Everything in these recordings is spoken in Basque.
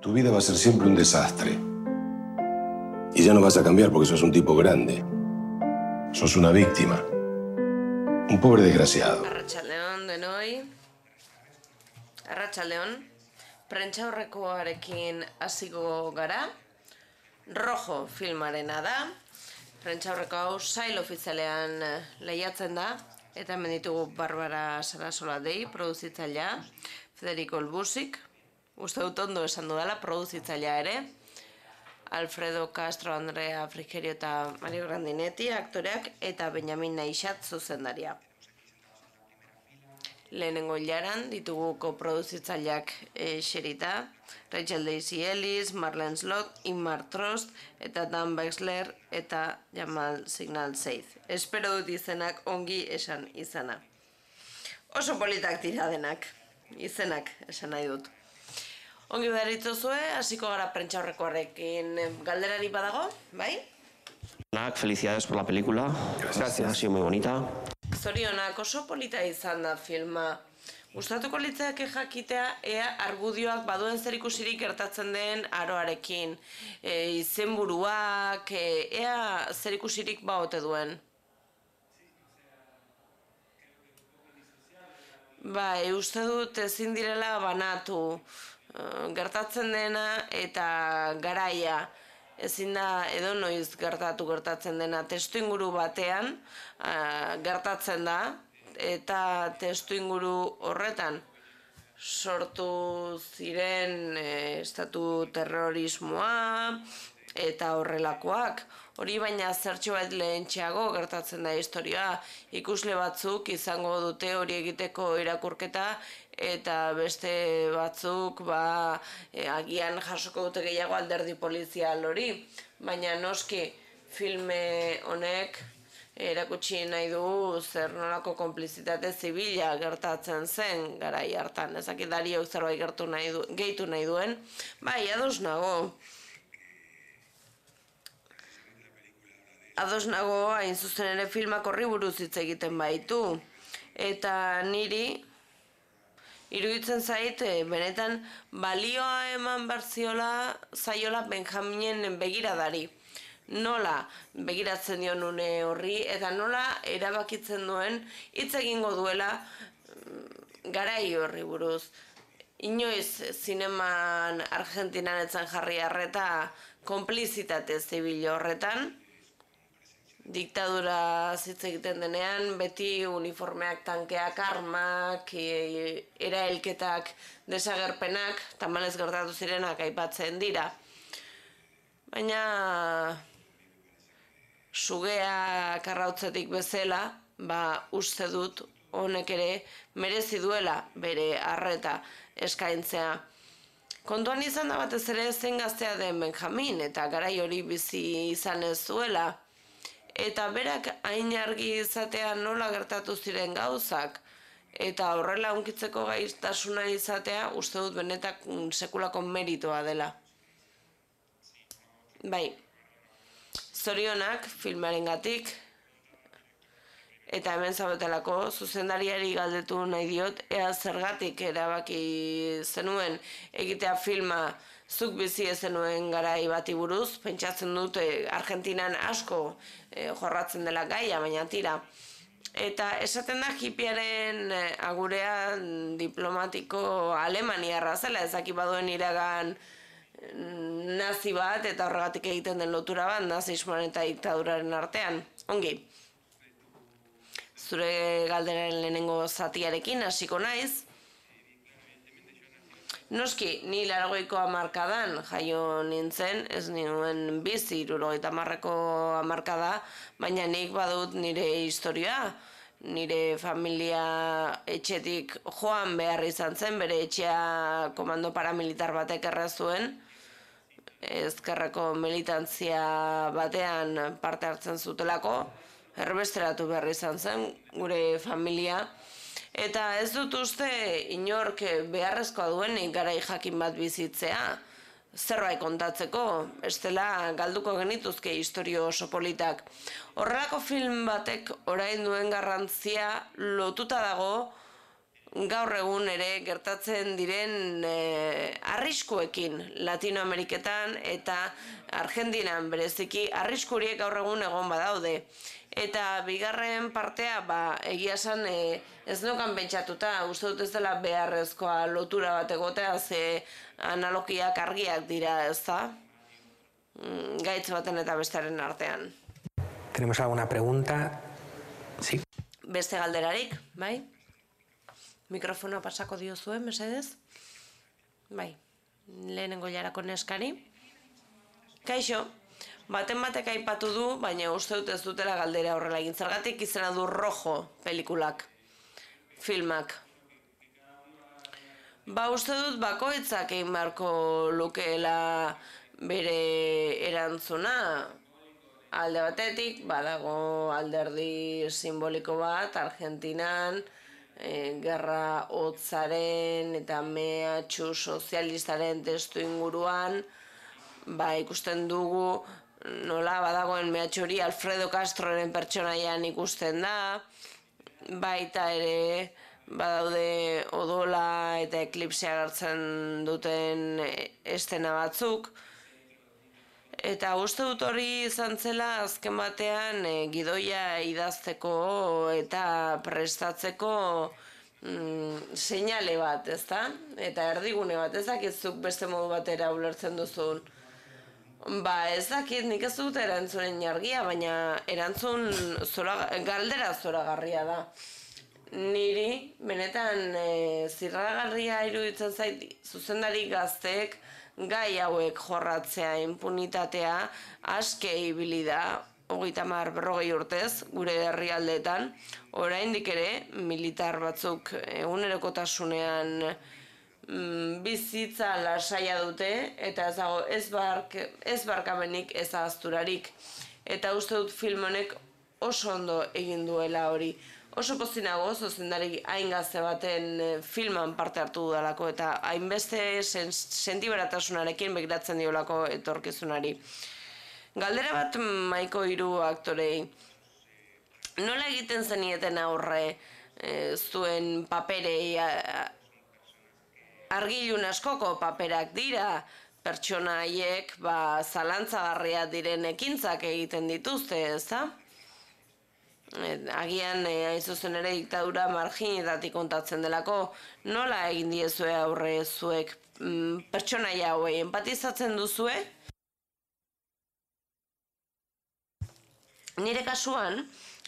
Tu vida va a ser siempre un desastre. Y ya no vas a cambiar porque sos un tipo grande. Sos una víctima. Un pobre desgraciado. Arratsaldeon denoi. Arratsaldeon. Prentsaurrekoarekin hasiko gara. Rojo filmarena da. Prentsaurreko hau sail ofizialean lehiatzen da. Eta hemen ditugu Barbara Sarasola dei, produzitzailea, Federico Elbusik, uste dut ondo esan dudala, produzitzailea ere, Alfredo Castro, Andrea Frigerio eta Mario Grandinetti aktoreak, eta Benjamin Naixat zuzendaria. Lehenengo hilaran ditugu koproduzitzaileak xerita, Rachel Daisy Ellis, Marlene Slot, Inmar Trost, eta Dan Wexler eta Jamal Signal Seith. Espero dut izenak ongi esan izana. Oso politak dira denak, izenak esan nahi dut. Ongi beharitzozue, hasiko gara prentsaurrekoarekin galderari badago, bai? Felicidades por la película. Gracias. Ha sido muy bonita. Zorionak oso polita izan da filma. Gustatuko litzaidake jakitea ea argudioak baduen zerikusirik gertatzen den aroarekin. Izenburuak, ea zerikusirik baote duen. Bai, uste dut ezin direla banatu. Gertatzen dena eta garaia. Ezin da edonoiz gertatzen dena testuinguru batean gertatzen da eta testuinguru horretan sortu ziren estatu terrorismoa eta horrelakoak. Hori baina zertxo bat lehentxeago gertatzen da historia. Ikusle batzuk izango dute hori egiteko irakurketa eta beste batzuk agian jasoko dute gehiago alderdi polizial hori. Baina noski filme honek erakutsi nahi du zer nolako konplizitate zibila gertatzen zen garai hartan. Ezakit Dariok zerbait gehitu nahi duen. Bai, ados nago. Ados nago, hain zuzen ere filmak horri buruz hitz egiten baitu. Eta niri iruditzen zait, benetan balioa eman zaiola Benjaminen begiradari. Nola begiratzen dion une horri eta nola erabakitzen duen hitz egingo duela garai horri buruz. Inoiz zineman Argentinan etzen jarri arreta konplizitate zibil horretan. Diktadura hitz egiten denean, beti uniformeak, tankeak, armak, erailketak, desagerpenak, tamalez gertatu zirenak aipatzen dira. Baina sugea karrautzetik bezala, uste dut honek ere merezi duela bere arreta eskaintzea. Kontuan izan da batez ere zein gaztea den Benjamin eta garai hori bizi izan ez zuela. Eta berak hain argi izatea nola gertatu ziren gauzak, eta horrela hunkitzeko gaitasuna izatea uste dut benetak sekulako meritoa dela. Bai, zorionak filmarengatik, eta hemen zaudetelako zuzendariari galdetu nahi diot, ea zergatik erabaki zenuen egitea filma zuk bizi zenuen garai bati buruz, pentsatzen dut Argentinan asko jorratzen dela gaia, baina tira. Eta esaten da hipiaren agurea diplomatiko alemaniarra zela, ezaki baduen iragan nazi bat eta horregatik egiten den lotura bat nazismoaren eta diktaduraren artean. Ongi. Zure galderaren lehenengo zatiarekin hasiko naiz. Noski, ni 80ko hamarkadan jaio nintzen, ez nuen bizi 70ko hamarkada, baina nik badut nire historia, nire familia etxetik joan behar izan zen, bere etxea komando paramilitar batek erra zuen, ezkerreko militantzia batean parte hartzen zutelako, erbesteratu behar izan zen gure familia. Eta ez dut uste inork beharrezkoa duenik garai jakin bat bizitzea, zerbait kontatzeko, bestela galduko genituzke historio oso politak. Horrelako film batek orain duen garrantzia lotuta dago gaur egun ere gertatzen diren arriskuekin Latinoameriketan eta Argentinan bereziki arrisku horiek gaur egun egon badaude. Eta bigarren partea, egia esan ez nukan pentsatuta, uste dut ez dela beharrezkoa lotura bat egotea, ze analogiak argiak dira, ez da? Gaitz baten eta bestearen artean. ¿Tenemos alguna pregunta? Sí. Beste galderarik, bai? Mikrofonoa pasako diozuen, mesedez? Bai, lehenengo jarako neskari. Kaixo, baten batek aipatu du, baina uste dut ez dutela galdera horrela egin. Zergatik izena du Rojo pelikulak, filmak. Uste dut bakoitzak egin beharko lukeela bere erantzuna. Alde batetik, badago alderdi simboliko bat, Argentinan, gerra hotzaren eta mehatxu sozialistaren testu inguruan, ikusten dugu nola badagoen mehatxu hori Alfredo Castroren pertsonaian ikusten da, baita ere badaude odola eta eklipsea hartzen duten estena batzuk. Eta uste dut hori izan zela azken batean gidoia idazteko eta prestatzeko seinale bat, ezta? Eta erdigune bat, ez dakizuk beste modu batera ulertzen duzun. Ez dakit, nik ez dut erantzunen jargia, baina erantzun galdera zoragarria da. Niri, benetan zirragarria iruditzen zait zuzendari gazteek gai hauek jorratzea, impunitatea, aske ibili da, 30-40 urtez, gure herrialdeetan, oraindik ere, militar batzuk egunerokotasunean bizitza lasaia dute, eta ez dago ez barkamenik, ez ahazturarik. Eta uste dut film honek oso ondo egin duela hori. Oso pozinago, zuzendari hain gazte baten filman parte hartu dudalako eta hainbeste sentiberatasunarekin begiratzen diolako etorkizunari. Galdera bat maiko 3 aktorei. Nola egiten zenieten aurre zuen paperei? Argilun askoko paperak dira, pertsona haiek zalantzagarria diren ekintzak egiten dituzte, ezta? Agian hain zuzen ere diktadura marginetatik kontatzen delako, nola egin diezue aurre zuek pertsonaia hauei empatizatzen duzue? Nire kasuan,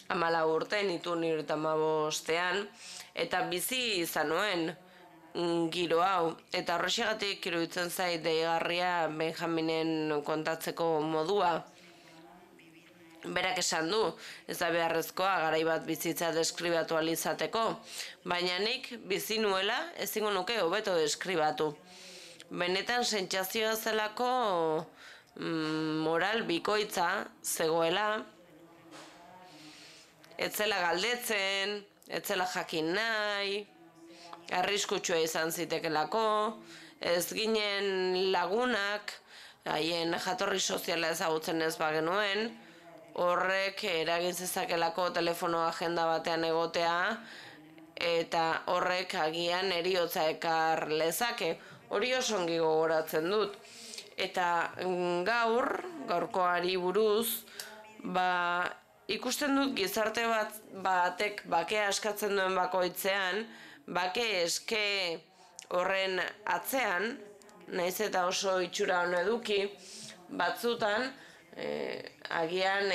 14 urte, nitu 95ean, eta bizi izan nuen giro hau, eta horrexegatik iruditzen zait deigarria Benjaminen kontatzeko modua. Berak esan du, ez da beharrezkoa garai bat bizitza deskribatu alizateko, baina nik bizi nuela ezingo nuke hobeto deskribatu. Benetan sentsazioa zelako moral bikoitza zegoela, ez zela galdetzen, ez zela jakin nahi, arriskutsua izan zitekelako, ez ginen lagunak, haien jatorri soziala ezagutzen ez bagenuen, horrek eragin zezakelako telefono agenda batean egotea eta horrek agian heriotza ekar lezake. Hori oso ongi gogoratzen dut. Eta gaurkoari buruz, ikusten dut gizarte batek bakea askatzen duen bakoitzean, bake eske horren atzean, nahiz eta oso itxura hona eduki, batzutan, agian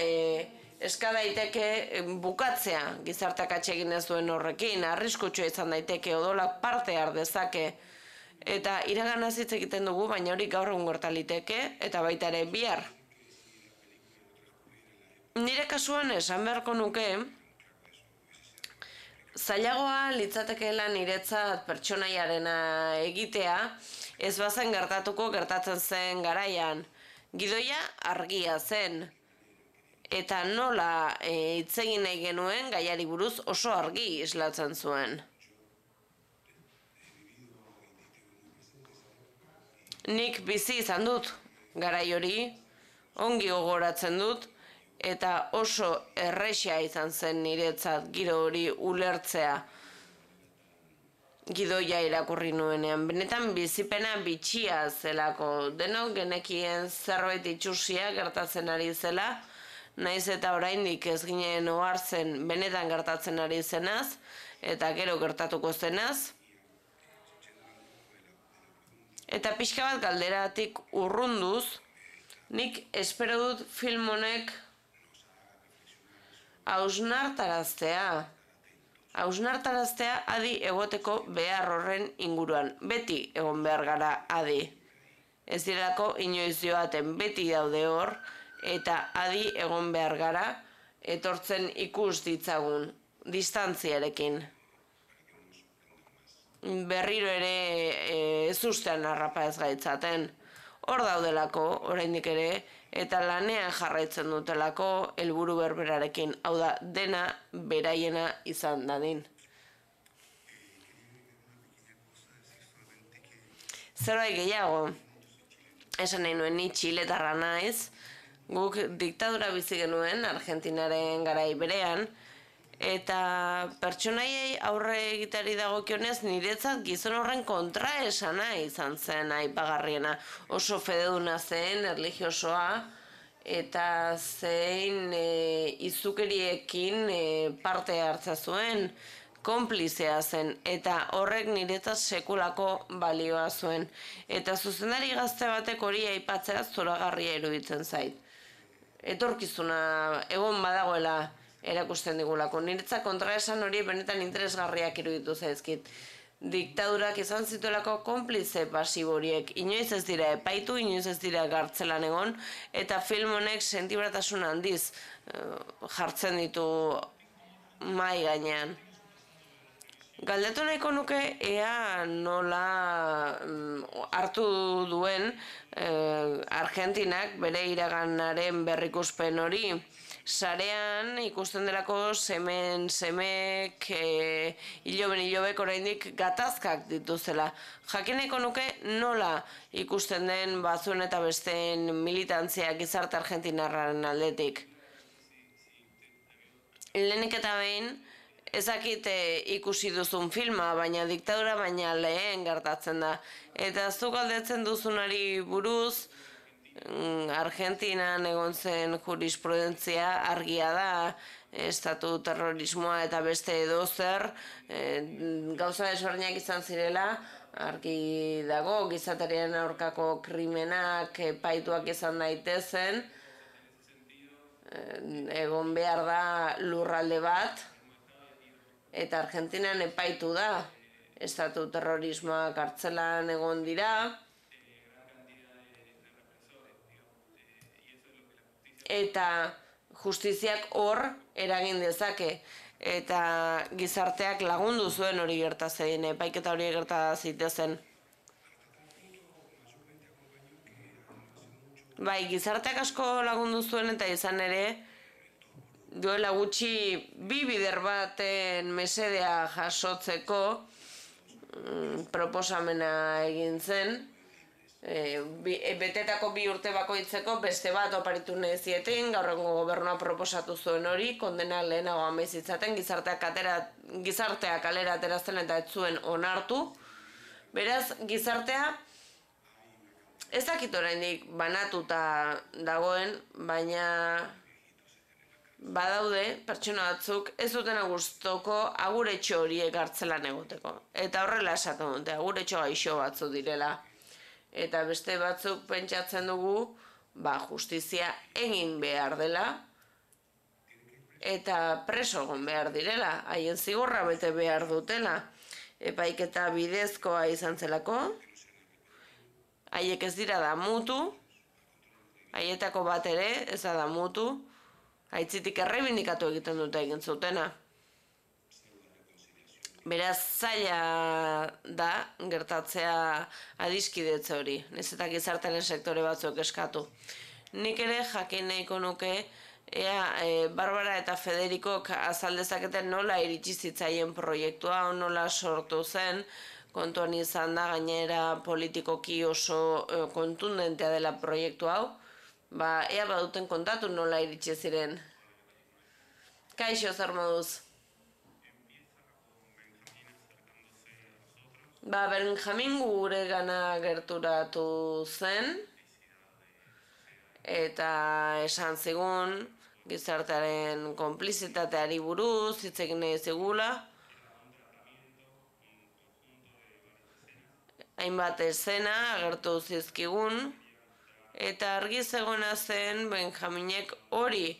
eska daiteke bukatzea gizarteak atsegin ez duen horrekin, arriskutsua izan daiteke, odolak parte har dezake, eta iraganaz hitz egiten dugu, baina hori gaur egun gerta liteke, eta baita ere bihar. Nire kasuan esan beharko nuke, zailagoa litzatekeela niretzat pertsonaiarena egitea, ez bazen gertatzen zen garaian. Gidoia argia zen, eta nola hitz egin nahi genuen gaiari buruz oso argi islatzen zuen. Nik bizi izan dut garai hori, ongi gogoratzen dut, eta oso erresa izan zen niretzat giro hori ulertzea. gidoia irakurri nuenean. Benetan bizipena bitxia zelako. Denok genekien zerbait itxusia gertatzen ari zela, naiz eta oraindik ez ginen ohartzen benetan gertatzen ari zenaz, eta gero gertatuko zenaz. Eta pixka bat galderatik urrunduz, nik espero dut film honek hausnartaraztea adi egoteko behar horren inguruan. Beti egon behar gara adi. Ez direlako inoiz joaten, beti daude hor, eta adi egon behar gara, etortzen ikus ditzagun, distantziarekin. Berriro ere ez ustean harrapa ez gaitzaten. Hor daudelako, oraindik ere, eta lanean jarraitzen dutelako helburu berberarekin. Hau da, dena beraiena izan dadin. Zerbait gehiago, esan nahi nuen ni txiletarra naiz, guk diktadura bizi genuen Argentinaren garai berean, eta pertsonaiei aurre egiteari dagokionez niretzat gizon horren kontraesana izan zen aipagarriena. Oso fededuna zen, erlijiosoa, eta zein izukeriekin parte hartza zuen, konplizea zen, eta horrek niretzat sekulako balioa zuen. Eta zuzendari gazte batek hori aipatzea zoragarria iruditzen zait. Etorkizuna egon badagoela erakusten digulako. Niretzat kontraesan hori benetan interesgarriak iruditu zaizkit. Diktadurak izan zituelako konplize pasibo horiek. Inoiz ez dira epaitu, inoiz ez dira gartzelan egon, eta film honek sentiberatasun handiz jartzen ditu mahai gainean. Galdetu nahiko nuke ea nola hartu duen Argentinak bere iraganaren berrikuspen hori. Sarean ikusten delako semek hilobek oraindik gatazkak dituzela. Jakineko nuke nola ikusten den batzuen eta besteen militantzia gizarte argentinarraren aldetik. Lehenik eta behin, ezakit ikusi duzun filma, baina diktadura baina lehen gertatzen da. Eta zuk galdetzen duzunari buruz, Argentinan egon zen jurisprudentzia argia da, estatu terrorismoa eta beste edozer, gauza desberdinak izan zirela, argi dago, gizateriaren aurkako krimenak epaituak izan daitezen, egon behar da lurralde bat, eta Argentinan epaitu da, estatu terrorismoa kartzelan egon dira, eta justiziak hor eragin dezake, eta gizarteak lagundu zuen hori gertatzen, epaiketa hori gerta zitezen. Bai, gizarteak asko lagundu zuen eta izan ere, duela gutxi bi bider baten mesedea jasotzeko proposamena egin zen, betetako 2 urte bakoitzeko beste bat oparitu nahi zieten, gaur egungo gobernua proposatu zuen hori, kondena lehenago amezitzaten, gizarteak kalera aterazten eta ez zuen onartu. Beraz, gizartea ez dakit oraindik banatuta dagoen, baina badaude pertsona batzuk ez dutena gustoko aguretxo horiek gartzelan egoteko. Eta horrela esaten dute, aguretxo gaixo batzu direla. Eta beste batzuk pentsatzen dugu, justizia egin behar dela, eta preso egon behar direla, haien zigorra bete behar dutela. Epaiketa bidezkoa izan zelako, haiek ez dira damutu, haietako bat ere ez da damutu, haitzitik errebindikatu egiten dute egin zutena. Beraz, zaila da gertatzea adiskidetze hori, nahiz eta gizartearen sektore batzuk eskatu. Nik ere jakin nahiko nuke, Barbara eta Federikok azaldezaketen nola iritsi zitzaien proiektua, nola sortu zen, kontuan izan da gainera politikoki oso kontundentea dela proiektu hau, ea baduten kontatu nola iritsi ziren. Kaixo, zer moduz? Benjamin gure gana gerturatu zen, eta esan zigun gizartearen konplizitateari buruz hitz egin nahi zigula. Hainbat escena agertu zizkigun, eta argi zegoena zen Benjaminek hori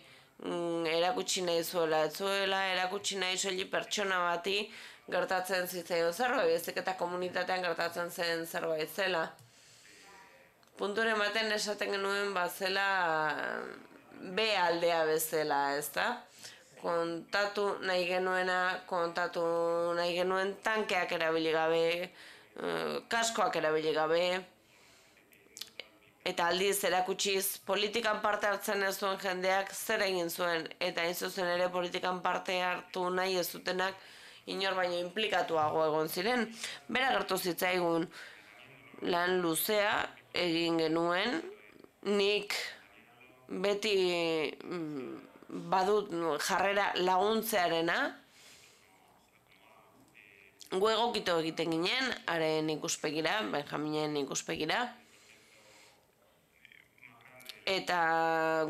erakutsi nahi zuela, ez zuela erakutsi nahi soilik pertsona bati gertatzen zitzaion zerbait, baizik eta komunitatean gertatzen zen zerbait zela. Punturen baten esaten genuen bazela B aldea bezala, ezta? Kontatu nahi genuen tankeak erabili gabe, kaskoak erabili gabe, eta aldiz erakutsiz politikan parte hartzen ez zuen jendeak zer egin zuen, eta hain zuzen ere politikan parte hartu nahi ez zutenak inor baino inplikatuago egon ziren. Bera gertu zitzaigun lan luzea egin genuen, nik beti badut jarrera laguntzearena, gu egokitu egiten ginen, haren ikuspegira, Benjaminen ikuspegira, eta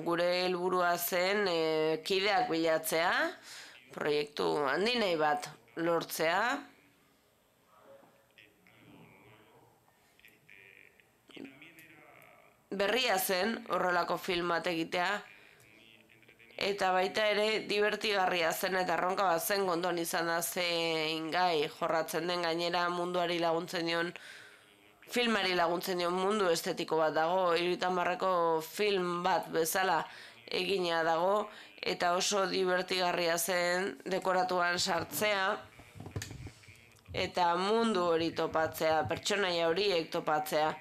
gure helburua zen kideak bilatzea, proiektu handinei bat lortzea, berria zen horrelako film bat egitea, eta baita ere divertigarria zen eta erronka bat zen gondon izan da zein gai jorratzen den, gainera munduari laguntzen dion, filmari laguntzen dion mundu estetiko bat dago, 70 film bat bezala egina dago, eta oso divertigarria zen dekoratuan sartzea, eta mundu hori topatzea, pertsonaia horiek topatzea.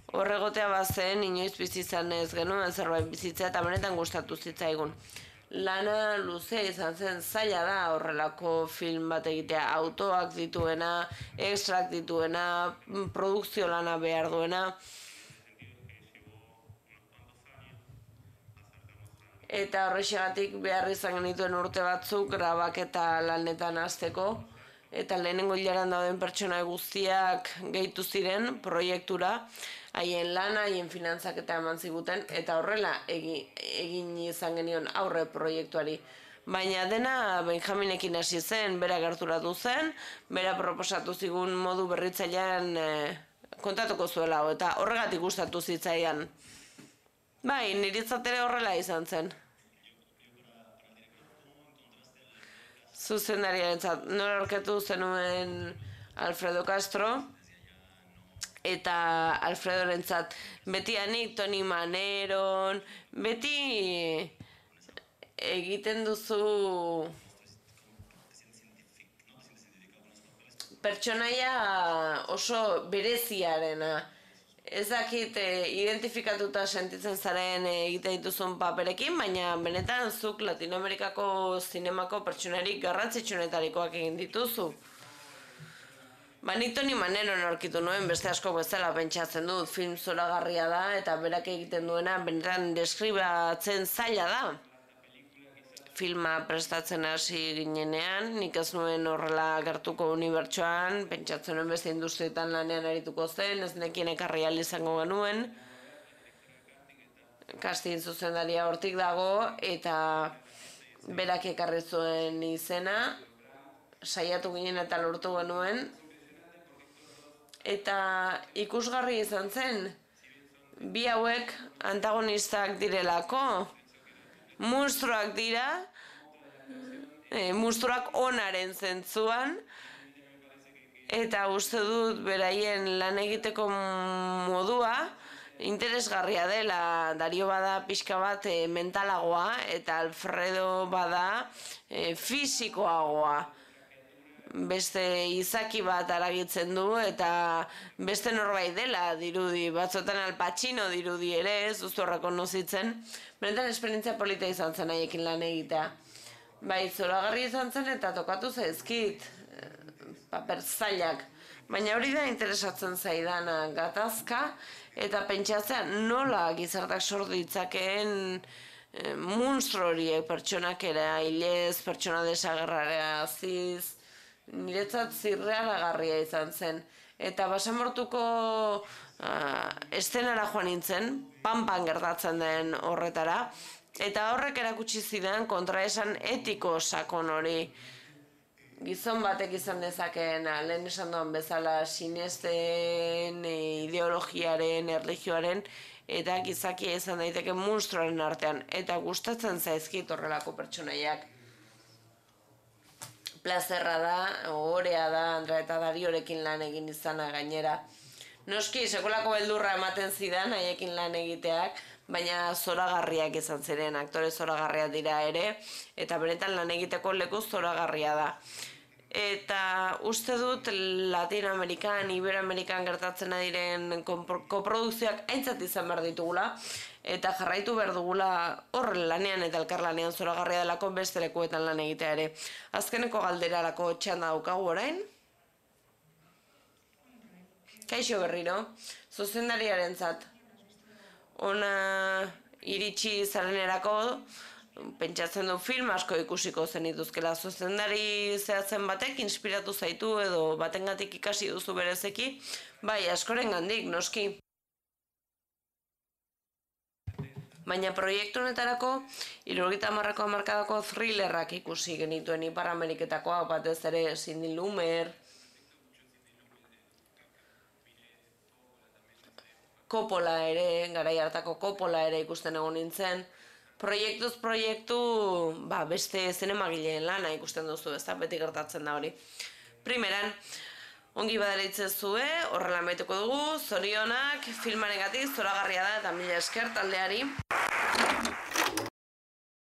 Horregotea bazen, inoiz bizi izan ez genuen zerbait bizitzea, eta benetan gustatu zitzaigun. Lana luzea izan zen, zaila da horrelako film bat egitea, autoak dituena, extrak dituena, produkzio lana behar duena. Eta horrexegatik behar izan genituen urte batzuk grabaketa lanetan hasteko, eta lehenengo hilaran dauden pertsona guztiak gehitu ziren proiektura, haien lana, haien finantzaketa eman ziguten, eta horrela egin izan genion aurre proiektuari. Baina dena Benjaminekin hasi zen, bera gerturatu zen, bera proposatu zigun modu berritzailean kontatuko zuela, eta horregatik gustatu zitzaidan. Bai, niritzat ere horrela izan zen. Zuzendariarentzat, nora aurketu zenuen Alfredo Castro, eta Alfredorentzat beti anik Toni Maneron, beti egiten duzu pertsonaia oso bereziarena. Ez dakit identifikatuta sentitzen zaren egiten dituzun paperekin, baina benetan zuk Latinoamerikako zinemako pertsonarik garrantzitsuenetarikoak egin dituzu. Nik Toni Maneron aurkitu nuen, beste asko bezala pentsatzen dut, film zoragarria da, eta berak egiten duena benetan deskribatzen zaila da. Filma prestatzen hasi ginenean, nik ez nuen horrela gertuko unibertsoan, pentsatzen nuen beste industrietan lanean arituko zen, ez nekien ekarri ahal izango genuen. Casting zuzendaria hortik dago, eta berak ekarri zuen izena, saiatu ginen eta lortu genuen, eta ikusgarri izan zen, bi hauek antagonistak direlako, monstruak dira, monstruak onaren zentzuan, eta uste dut beraien lan egiteko modua interesgarria dela. Dario bada pixka bat mentalagoa, eta Alfredo bada fisikoagoa. Beste izaki bat aragitzen du, eta beste norbait dela dirudi, batzotan Al Pacino dirudi ere, ez duzu horreko nozitzen. Benetan esperientzia polita izan zen haiekin lan egitea. Bai, zoragarri izan zen eta tokatu zaizkit, paper zailak. Baina hori da interesatzen zaidana, gatazka, eta pentsatzea nola gizartak sor ditzakeen monstro horiek, pertsonak erailez, pertsona desagerraraziz, niretzat zirrealagarria izan zen. Eta basamortuko estenara joan nintzen, pan gertatzen den horretara, eta horrek erakutsi zidan kontraesan etiko sakon hori. Gizon batek izan dezakeen, lehen esan duan bezala, sinesten, ideologiaren, erlijioaren, eta gizakia izan daiteke monstruaren artean, eta gustatzen zaizkit horrelako pertsonaiak. Plazerra da, ohorea da, Andra eta Dariorekin lan egin izana gainera. Noski, sekolako beldurra ematen zidan haiekin lan egiteak, baina zoragarriak izan ziren, aktore zoragarriak dira ere, eta benetan lan egiteko leku zoragarria da. Eta uste dut Latinoamerikan, Iberoamerikan gertatzen diren koprodukzioak aintzat izan behar ditugula, eta jarraitu behar dugula hor lanean eta elkarlanean zoragarria delako beste lekuetan lan egitea ere. Azkeneko galderarako txanda daukagu orain. Kaixo berriro, zuzendariarentzat. Ona iritsi zarenerako, pentsatzen du film asko ikusiko zenituzkela. Zuzendari zehatzen batek inspiratu zaitu edo batengatik ikasi duzu berezeki, bai, askorengandik, noski. Baina proiektu honetarako, 70ko hamarkadako thrillerrak ikusi genituen Ipar Ameriketakoa, batez ere Cindy Lumer, Coppola ere, garai hartako Coppola ere ikusten egon nintzen. Proiektuz proiektu, beste zinemagileen lana ikusten duzu, ez da, beti gertatzen da hori. Primeran, ongi badaritzezue, horrela maituko dugu, zorionak, filmarengatik zoragarria da eta mila esker taldeari.